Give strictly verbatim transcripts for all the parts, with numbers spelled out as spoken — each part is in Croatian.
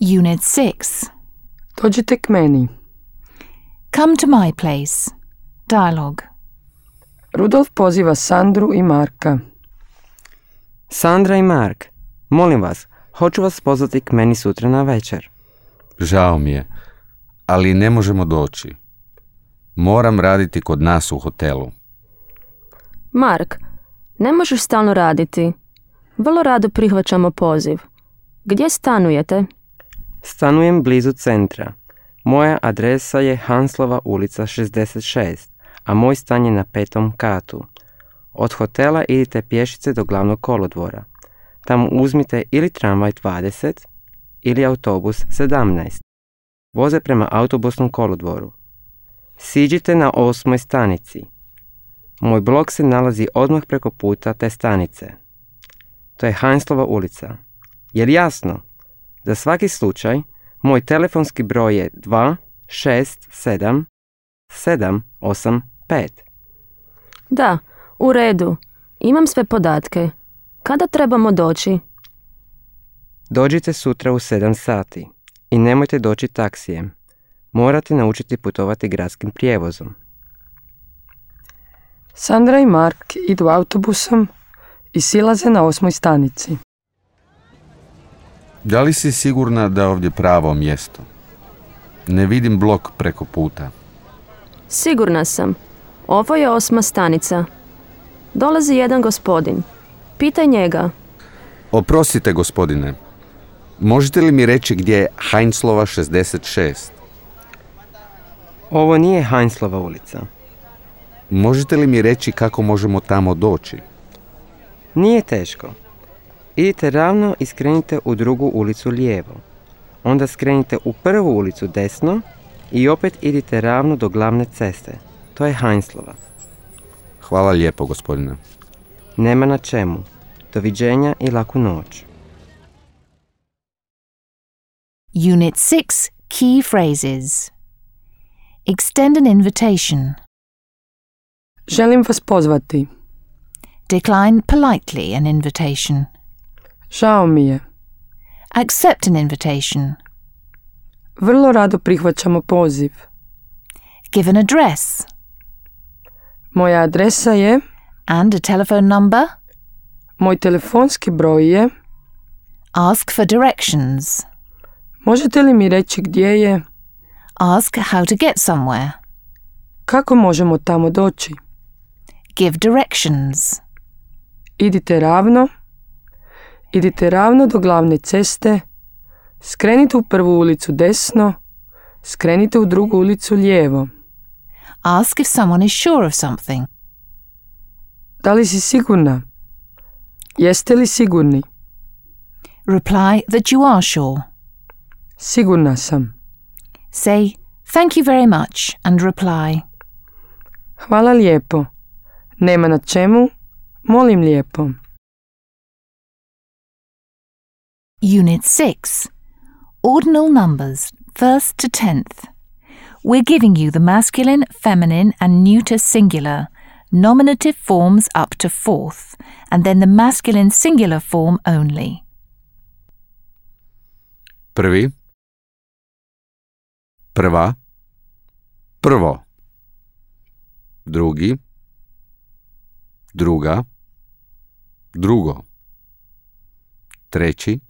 Unit six. Dođite k meni. Come to my place. Dialogue. Rudolf poziva Sandru i Marka. Sandra i Mark, molim vas, hoću vas pozvati k meni sutra na večer. Žao mi je, ali ne možemo doći. Moram raditi kod nas u hotelu. Mark, ne možeš stalno raditi. Vrlo rado prihvaćamo poziv. Gdje stanujete? Stanujem blizu centra. Moja adresa je Hanslova ulica šezdeset šest, a moj stan je na petom katu. Od hotela idite pješice do glavnog kolodvora. Tamo uzmite ili tramvaj dvadeset ili autobus sedamnaest. Voze prema autobusnom kolodvoru. Siđite na osmoj stanici. Moj blok se nalazi odmah preko puta te stanice. To je Hanslova ulica. Jer jasno? Za svaki slučaj, moj telefonski broj je dva šest sedam sedam osam pet. Da, u redu. Imam sve podatke. Kada trebamo doći? Dođite sutra u sedam sati i nemojte doći taksijem. Morate naučiti putovati gradskim prijevozom. Sandra i Mark idu autobusom i silaze na osmoj stanici. Da li si sigurna da je ovdje pravo mjesto? Ne vidim blok preko puta. Sigurna sam. Ovo je osma stanica. Dolazi jedan gospodin. Pitaj njega. Oprostite, gospodine. Možete li mi reći gdje je Heinzlova šezdeset šest? Ovo nije Heinzlova ulica. Možete li mi reći kako možemo tamo doći? Nije teško. Idite ravno i skrenite u drugu ulicu lijevo. Onda skrenite u prvu ulicu desno i opet idite ravno do glavne ceste. To je Heinzlova. Hvala lijepo, gospodine. Nema na čemu. Doviđenja i laku noć. Unit six. Key phrases. Extend an invitation. Želim vas pozvati. Decline politely an invitation. Žao mi je. Accept an invitation. Vrlo rado prihvaćamo poziv. Give an address. Moja adresa je... And a telephone number. Moj telefonski broj je... Ask for directions. Možete li mi reći gdje je... Ask how to get somewhere. Kako možemo tamo doći? Give directions. Idite ravno. Idite ravno do glavne ceste. Skrenite u prvu ulicu desno. Skrenite u drugu ulicu lijevo. Ask if someone is sure of something. Da li si sigurna? Jeste li sigurni? Reply that you are sure. Sigurna sam. Say, thank you very much, and reply. Hvala lijepo. Nema na čemu. Molim lijepo. Unit six. Ordinal numbers, first to tenth. We're giving you the masculine, feminine, and neuter singular, nominative forms up to fourth, and then the masculine singular form only. Prvi. Prva. Prvo. Drugi. Druga. Drugo. Treći.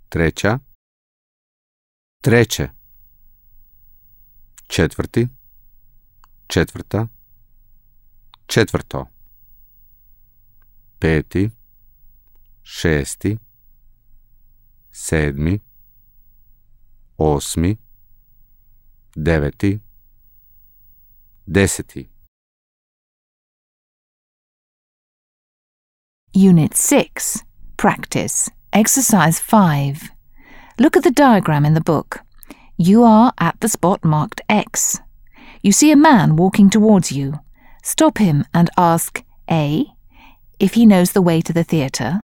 Treća. Treće. Četvrti. Četvrta. Četvrto. Peti. Šesti. Sedmi. Osmi. Deveti. Deseti. Unit six. Practice. Exercise five. Look at the diagram in the book. You are at the spot marked X. You see a man walking towards you. Stop him and ask A. if he knows the way to the theatre.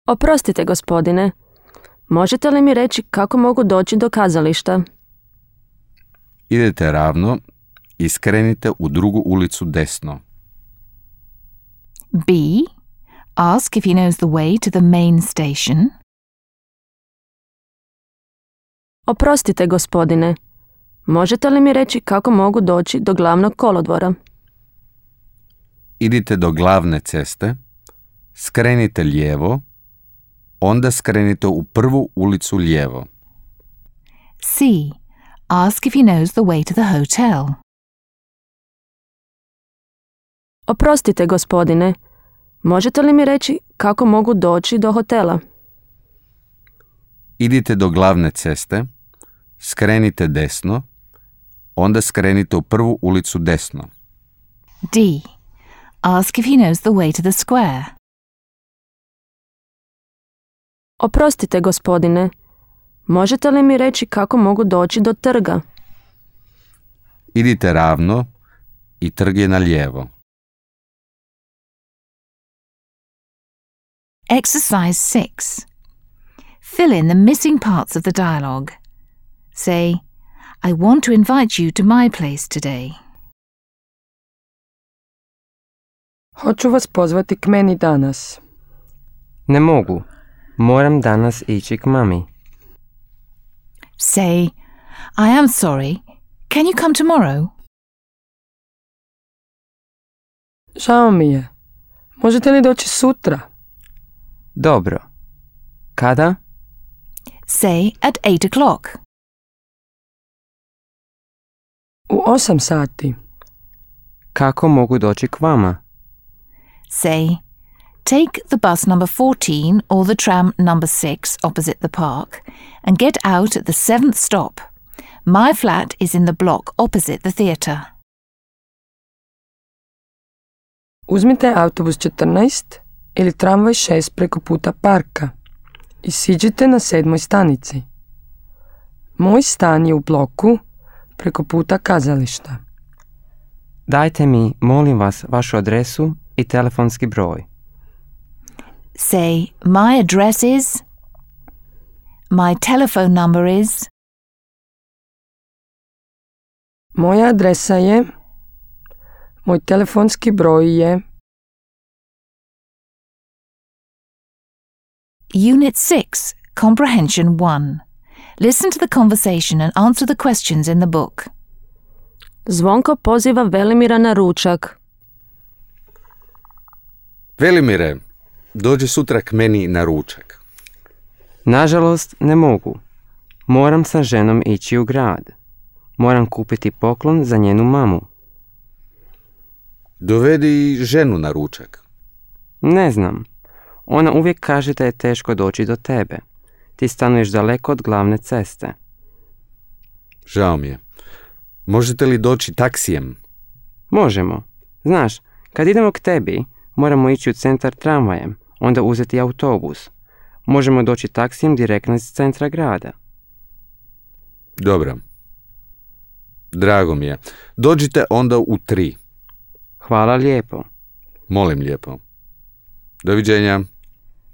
Oprostite, gospodine. Možete li mi reći kako mogu doći do kazališta? Idete ravno i skrenite u drugu ulicu desno. B. Ask if he knows the way to the main station. Oprostite, gospodine. Možete li mi reći kako mogu doći do glavnog kolodvora? Idite do glavne ceste, skrenite lijevo, onda skrenite u prvu ulicu lijevo. C. Ask if he knows the way to the hotel. Oprostite, gospodine. Možete li mi reći kako mogu doći do hotela? Idite do glavne ceste, skrenite desno, onda skrenite u prvu ulicu desno. D. Ask if he knows the way to the square. Oprostite, gospodine. Možete li mi reći kako mogu doći do trga? Idite ravno i trg je na lijevo. Exercise six. Fill in the missing parts of the dialogue. Say, I want to invite you to my place today. Hoću vas pozvati k meni danas. Ne mogu. Moram danas ići k mami. Say, I am sorry. Can you come tomorrow? Žao mi je. Možete li doći sutra? Dobro. Kada? Say at eight o'clock. U osam sati. Kako mogu doći k vama? Say, take the bus number fourteen or the tram number six opposite the park and get out at the seventh stop. My flat is in the block opposite the theatre. Uzmite autobus četrnaest ili tramvaj šest preko puta parka i siđite na sedmoj stanici. Moj stan je u bloku preko puta kazališta. Dajte mi, molim vas, vašu adresu i telefonski broj. Say, my address is, my telephone number is, Moja adresa je, moj telefonski broj je. Unit six, Comprehension one. Listen to the conversation and answer the questions in the book. Zvonko poziva Velimira na ručak. Velimire, dođi sutra k meni na ručak. Nažalost, ne mogu. Moram sa ženom ići u grad. Moram kupiti poklon za njenu mamu. Dovedi ženu na ručak. Ne znam. Ona uvijek kaže da je teško doći do tebe. Ti stanuješ daleko od glavne ceste. Žao mi je. Možete li doći taksijem? Možemo. Znaš, kad idemo k tebi, moramo ići u centar tramvajem, onda uzeti autobus. Možemo doći taksijem direktno iz centra grada. Dobro. Drago mi je. Dođite onda u tri. Hvala lijepo. Molim lijepo. Doviđenja.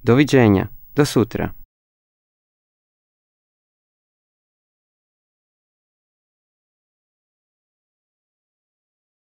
Doviđenja. Do sutra.